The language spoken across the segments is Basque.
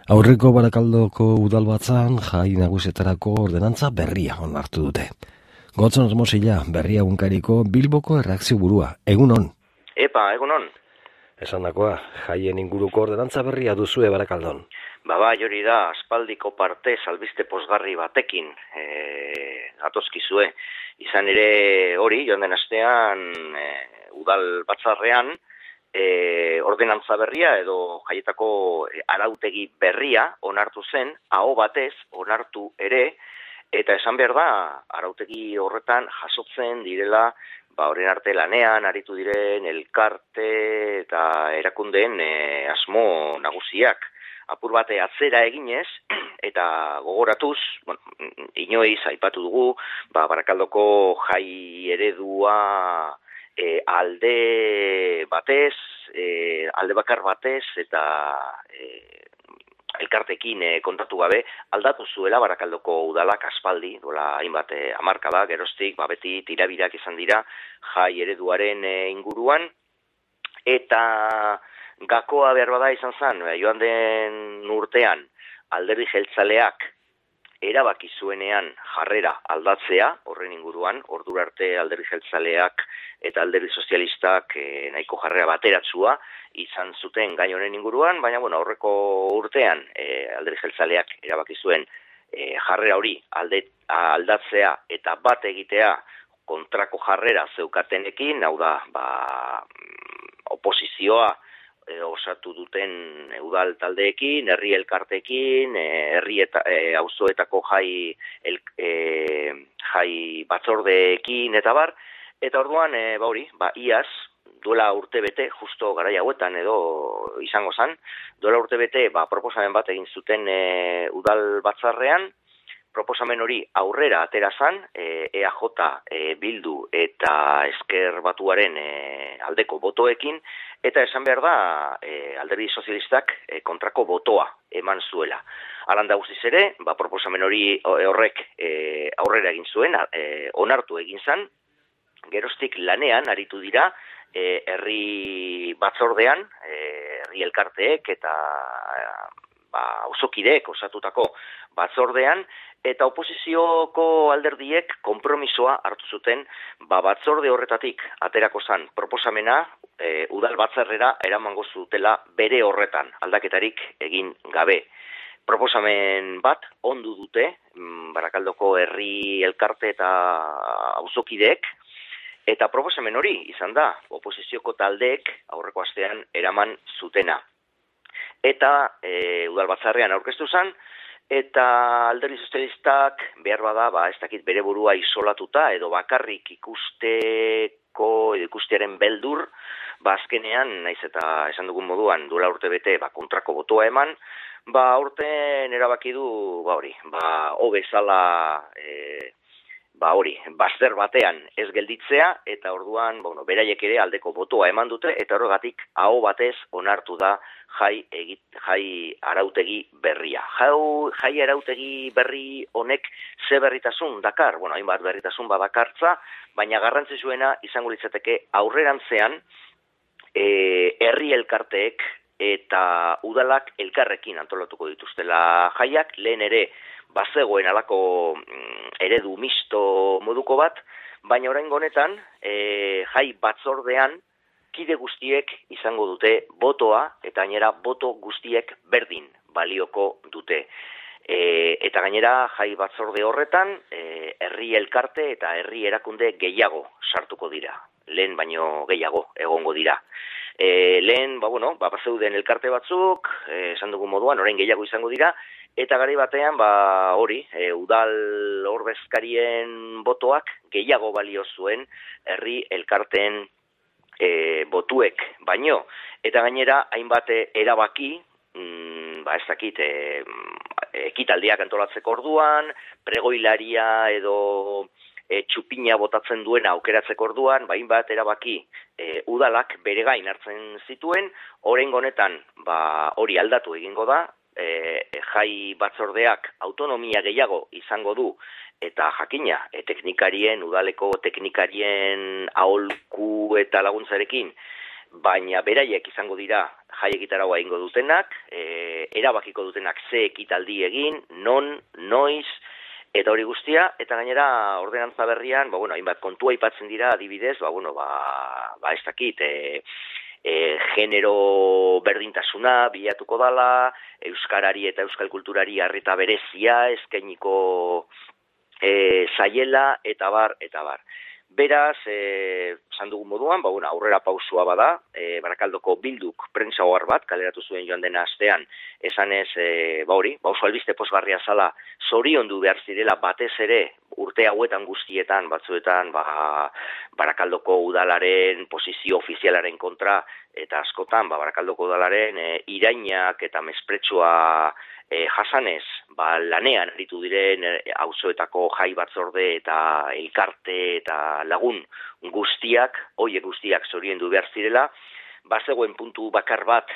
Aurreko Barakaldoko udalbatzan jai nagusietarako ordenantza berria onartu dute. Gotzon Hermosilla, berria egunkariko Bilboko erreakzio burua. Egunon. Epa, egunon. Esandakoa, jaien inguruko ordenantza berria duzue Barakaldon. Bai, hori da, aspaldiko parte albiste posgarri batekin gatozkizue. Izan ere hori, joan den astean udal batzarrean, ordenantza berria edo jaietako arautegi berria onartu zen, aho batez onartu ere, eta esan behar da, arautegi horretan jasotzen direla, horren arte lanean, aritu diren elkarte eta erakundeen asmo nagusiak. Apur bate atzera eginez, eta gogoratuz, inoiz aipatu dugu, Barakaldoko jai eredua alde batez, alde bakar batez, eta elkartekin kontatu gabe, aldatu zuela Barakaldoko udalak aspaldi, duela hainbat hamarkada, geroztik, beti tirabirak izan dira jai ereduaren inguruan, eta gakoa behar bada izan zen, joan den urtean alderdi jeltzaleak erabaki zuenean jarrera aldatzea, horren inguruan, ordura arte alderdi jeltzaleak eta alderdi sozialistak nahiko jarrera bateratzua izan zuten gai honen inguruan, baina aurreko urtean alderdi jeltzaleak erabaki zuen jarrera hori aldatzea eta bat egitea kontrako jarrera zeukatenekin, hau da, oposizioa osatu duten udal taldeekin, herri elkarteekin, herri eta auzoetako jai batzordeekin eta bar, eta orduan, iaz, duela urte bete, justo garai hauetan edo izango zen, duela urte bete, proposamen bat egin zuten udal batzarrean, proposamen hori aurrera atera zan, EAJ, Bildu eta Ezker Batuaren aldeko botoekin, eta esan behar da alderdi sozialistak kontrako botoa eman zuela. Alanda guztiz ere, proposamen hori horrek aurrera egin zuen, onartu egin zan, geroztik lanean aritu dira herri batzordean, herri elkarteek eta auzokideek osatutako batzordean, eta oposizioko alderdiek konpromisoa hartu zuten batzorde horretatik aterako zan proposamena udal batzarrera eramango zutela bere horretan aldaketarik egin gabe. Proposamen bat ondu dute Barakaldoko herri elkarte eta auzokideek, eta proposamen hori izan da oposizioko taldeek aurreko astean eraman zutena. Eta udal batzarrean aurkeztu zen, eta alderdi sozialistak behar bada, ez dakit bere burua isolatuta, edo bakarrik ikustearen beldur, azkenean, naiz eta esan dugun moduan, duela urte bete, kontrako botoa eman, urten erabaki du, bezala, bazter batean ez gelditzea, eta orduan, beraiek ere aldeko botoa eman dute, eta horregatik aho batez onartu da jai arautegi berria. Jai arautegi berri honek ze berritasun dakar? Hainbat berritasun badakartza, baina garrantzitsuena izango litzateke aurrerantzean herri elkarteek eta udalak elkarrekin antolatuko dituztela jaiak, lehen ere bazegoen alako eredu misto moduko bat, baina oraingo honetan jai batzordean kide guztiek izango dute botoa, eta gainera boto guztiek berdin balioko dute. Eta gainera jai batzorde horretan herri elkarte eta herri erakunde gehiago sartuko dira. Lehen baino gehiago egongo dira. Lehen, bazeuden elkarte batzuk, esan dugun moduan, orain gehiago izango dira, eta garai batean, udal ordezkarien botoak gehiago balio zuen herri elkarteen botuek baino. Eta gainera, hainbat erabaki, ez dakit, ekitaldiak antolatzeko orduan, pregoilaria edo txupina botatzen duena aukeratzeko orduan, hainbat erabaki udalak bere gain hartzen zituen, oraingo honetan hori aldatu egingo da, jai batzordeak autonomia gehiago izango du, eta jakina, udaleko teknikarien aholku eta laguntzarekin baina beraiek izango dira jai egitaragoa egingo dutenak, erabakiko dutenak ze ekitaldi egin, non, noiz, eta hori guztia, eta gainera ordenantza berrian, hainbat kontua aipatzen dira adibidez, ez dakit, genero berdintasuna bilatuko dala, euskarari eta euskal kulturari arreta berezia eskainiko zaiela, eta bar. Beraz, esan dugun moduan, aurrera pausua bada, Barakaldoko Bilduk prentsa ohar bat kaleratu zuen joan dena astean, esanez, oso albiste pozgarria zala, zoriondu behar zirela batez ere urte hauetan guztietan, batzuetan, Barakaldoko udalaren posizio ofizialaren kontra, eta askotan, Barakaldoko udalaren irainak eta mespretsua jasanez, lanean aritu diren auzoetako jai batzorde eta elkarte eta lagun guztiak, hoiek guztiak zoriondu behar zirela, bazegoen puntu bakar bat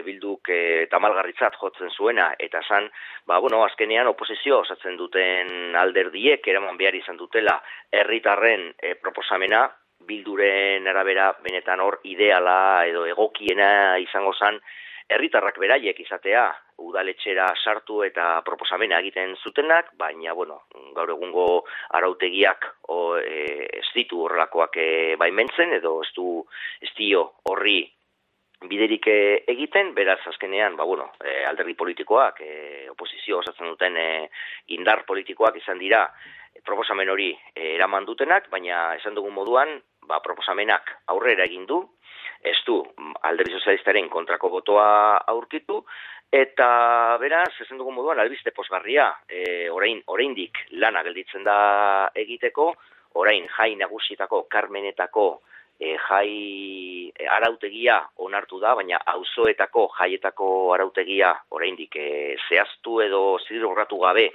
Bilduk tamalgarritzat jotzen zuena, eta zan, azkenean oposizio osatzen duten alderdiek eraman behar izan dutela herritarren proposamena, Bilduren arabera benetan hor ideala edo egokiena izango zan, herritarrak beraiek izatea udaletxera sartu eta proposamena egiten zutenak, baina, gaur egungo arautegiak ez ditu horrelakoak baimentzen, edo ez dio horri biderik egiten, beraz azkenean, alderdi politikoak, oposizio osatzen duten indar politikoak izan dira proposamen hori eraman dutenak, baina esan dugun moduan, proposamenak aurrera egin du, ez du alderdi sozialistaren kontrako botoa aurkitu, eta beraz, esan dugun moduan, albiste pozgarria, oraindik lana gelditzen da egiteko, orain jai nagusietako, Karmenetako jai arautegia onartu da, baina auzoetako jaietako arautegia oraindik zehaztu edo zidurratu gabe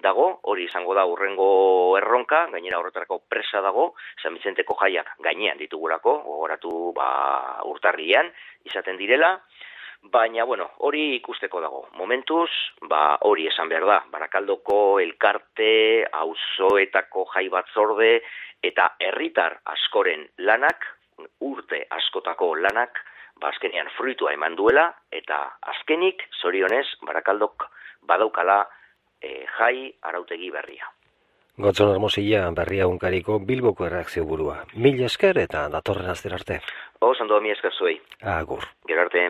dago, hori izango da hurrengo erronka, gainera horretarako presa dago, San Bizenteko jaiak gainean ditugulako, gogoratu urtarrian izaten direla, baina hori ikusteko dago. Momentuz, hori esan behar da, Barakaldoko elkarte, auzoetako jai batzorde eta herritar askoren lanak, urte askotako lanak, azkenean fruitua eman duela, eta azkenik, zorionez, Barakaldok badaukala jai arautegi berria. Gotzon Hermosilla, Berria Egunkariko Bilboko erreakzio burua. Mila esker eta datorren astera arte. Ondo, mila esker zuei. Agur. Gero arte.